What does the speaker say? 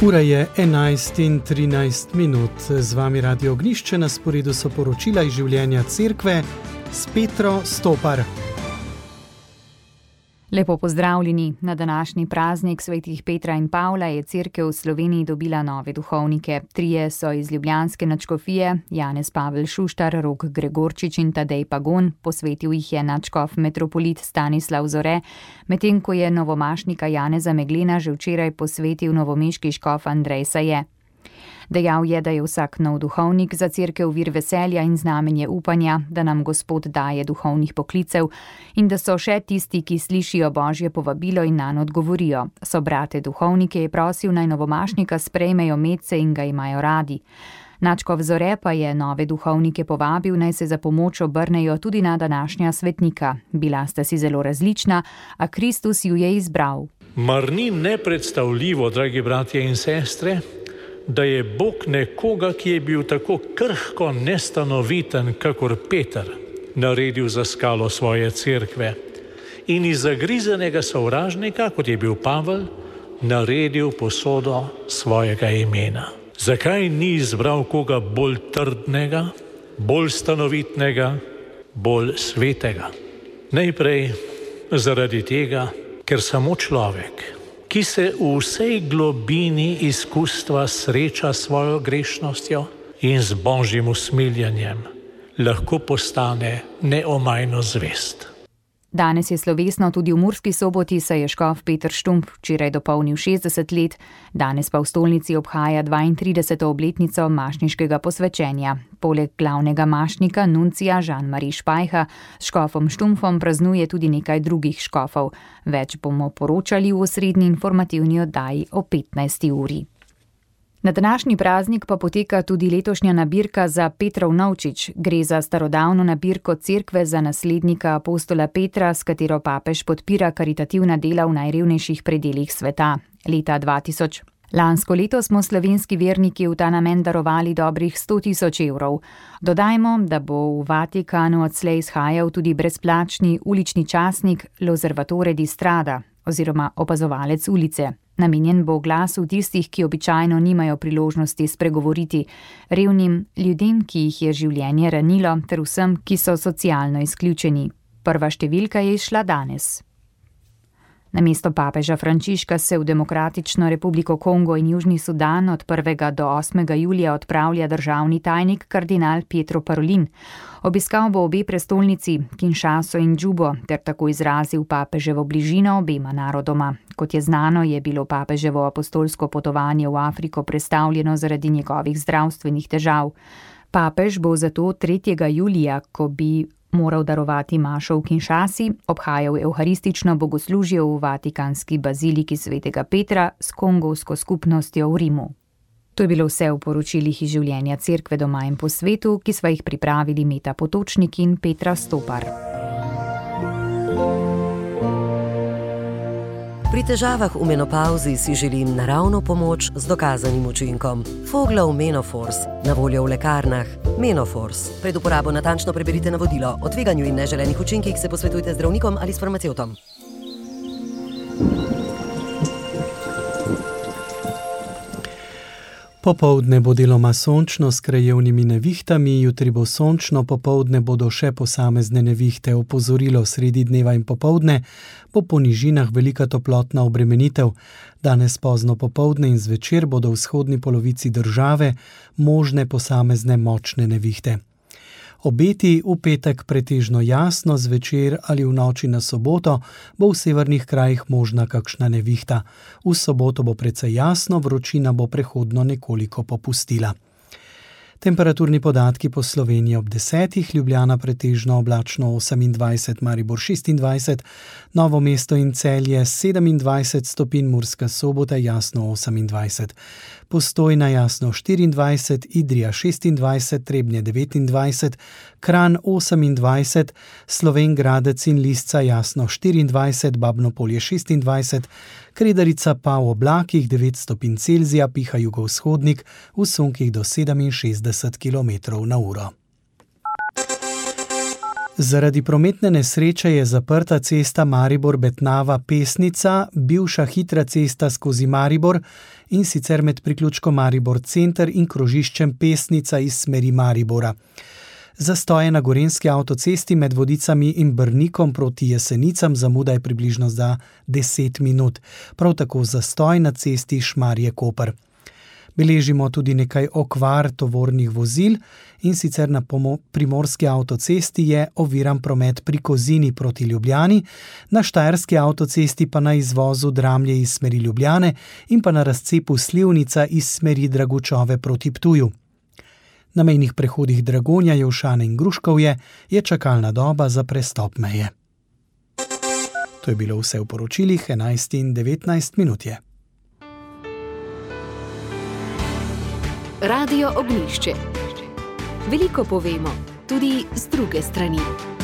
Ura je 11:13, z vami Radio Ognjišče, na sporedu so poročila iz življenja cerkve s Petro Stopar. Lepo pozdravljeni. Na današnji praznik svetih Petra in Pavla je cerkev v Sloveniji dobila nove duhovnike. Trije so iz ljubljanske nadškofije, Janez Pavel Šuštar, Rok Gregorčič in Tadej Pagon, posvetil jih je nadškof metropolit Stanislav Zore, medtem ko je novomašnika Janeza Meglena že včeraj posvetil novomeški škof Andrej Saje. Dejal je, da je vsak nov duhovnik za cerkev vir veselja in znamenje upanja, da nam Gospod daje duhovnih poklicev in da so še tisti, ki slišijo Božje povabilo in nanj odgovorijo. Sobrate duhovnike je prosil, naj novomašnika sprejmejo medse in ga imajo radi. Nadškof Zore pa je nove duhovnike povabil, naj se za pomoč obrnejo tudi na današnja svetnika. Bila sta si zelo različna, a Kristus ju je izbral. Mar ni nepredstavljivo, dragi bratje in sestre, da je Bog nekoga, ki je bil tako krhko nestanoviten, kakor Peter, naredil za skalo svoje cerkve in iz zagrizanega sovražnika, kot je bil Pavel, naredil posodo svojega imena. Zakaj ni izbral koga bolj trdnega, bolj stanovitnega, bolj svetega? Najprej zaradi tega, ker samo človek, ki se v vsej globini izkustva sreča s svojo grešnostjo in z Božjim usmiljenjem, lahko postane neomajno zvest. Danes je slovesno tudi v Murski Soboti, saj je škof Peter Štump včeraj dopolnil 60 let, danes pa v stolnici obhaja 32. obletnico mašniškega posvečenja. Poleg glavnega mašnika, nuncija Jean-Marie Špajha, s škofom Štumpfom praznuje tudi nekaj drugih škofov. Več bomo poročali v osrednji informativni oddaji o 15. uri. Na današnji praznik pa poteka tudi letošnja nabirka za Petrov novčič. Gre za starodavno nabirko cerkve za naslednika apostola Petra, s katero papež podpira karitativna dela v najrevnejših predelih sveta. Leta 2000. Lansko leto smo slovenski verniki v ta namen darovali dobrih 100.000 evrov. Dodajmo, da bo v Vatikanu odslej izhajal tudi brezplačni ulični časnik L'Osservatore di Strada oziroma opazovalec ulice. Namenjen bo glasu tistih, ki običajno nimajo priložnosti spregovoriti, revnim ljudem, ki jih je življenje ranilo, ter vsem, ki so socialno izključeni. Prva številka je izšla danes. Namesto papeža Frančiška se v Demokratično republiko Kongo in Južni Sudan od 1. do 8. julija odpravlja državni tajnik kardinal Pietro Parolin. Obiskal bo obe prestolnici, Kinshaso in Džubo, ter tako izrazil papeževo bližino obema narodoma. Kot je znano, je bilo papeževo apostolsko potovanje v Afriko prestavljeno zaradi njegovih zdravstvenih težav. Papež bo zato 3. julija, ko bi moral darovati mašo v Kinshasi, obhajal evharistično bogoslužje v Vatikanski baziliki svetega Petra s kongovsko skupnostjo v Rimu. To je bilo vse v poročilih iz življenja cerkve doma in po svetu, ki sva jih pripravili Meta Potočnik in Petra Stopar. Pri težavah v menopavzi si želim naravno pomoč z dokazanim učinkom. Foglov Menofors, na voljo v lekarnah. Menofors. Pred uporabo natančno preberite navodilo. O tveganju in neželenih učinkih se posvetujte z zdravnikom ali s farmacevtom. Popoldne bo deloma sončno s krajevnimi nevihtami, jutri bo sončno, popoldne bodo še posamezne nevihte. Opozorilo sredi dneva in popoldne bo po nižinah velika toplotna obremenitev. Danes pozno popoldne in zvečer bodo v vzhodni polovici države možne posamezne močne nevihte. Obeti v petek pretežno jasno, zvečer ali v noči na soboto bo v severnih krajih možna kakšna nevihta. V soboto bo precej jasno, vročina bo prehodno nekoliko popustila. Temperaturni podatki po Sloveniji ob 10, Ljubljana pretežno oblačno 28, Maribor 26, Novo mesto in Celje 27 stopinj, Murska Sobota jasno 28, Postojna jasno 24, Idrija 26, Trebnje 29, Kranj 28, Slovenj Gradec in Lisca jasno 24, Babno Polje 26, Kredarica pa v oblakih 9 stopinj Celzija, piha jugovzhodnik, v sunkih do 67 km/h. Zaradi prometne nesreče je zaprta cesta Maribor-Betnava-Pesnica, bivša hitra cesta skozi Maribor, in sicer med priključkom Maribor center in krožiščem Pesnica iz smeri Maribora. Zastoje na gorenjski avtocesti med Vodicami in Brnikom proti Jesenicam zamuda je približno za 10 minut. Prav tako zastoj na cesti Šmarje-Koper. Beležimo tudi nekaj okvar tovornih vozil, in sicer na primorski avtocesti je oviran promet pri Kozini proti Ljubljani, na štajerski avtocesti pa na izvozu Dramlje iz smeri Ljubljane in pa na razcepu Slivnica iz smeri Dragučove proti Ptuju. Na mejnih prehodih Dragonja, Jelšane in Gruškovje je čakalna doba za prestop meje. To je bilo vse v poročilih, 11 in 19 minut je. Radio Ognjišče. Veliko povemo, tudi z druge strani.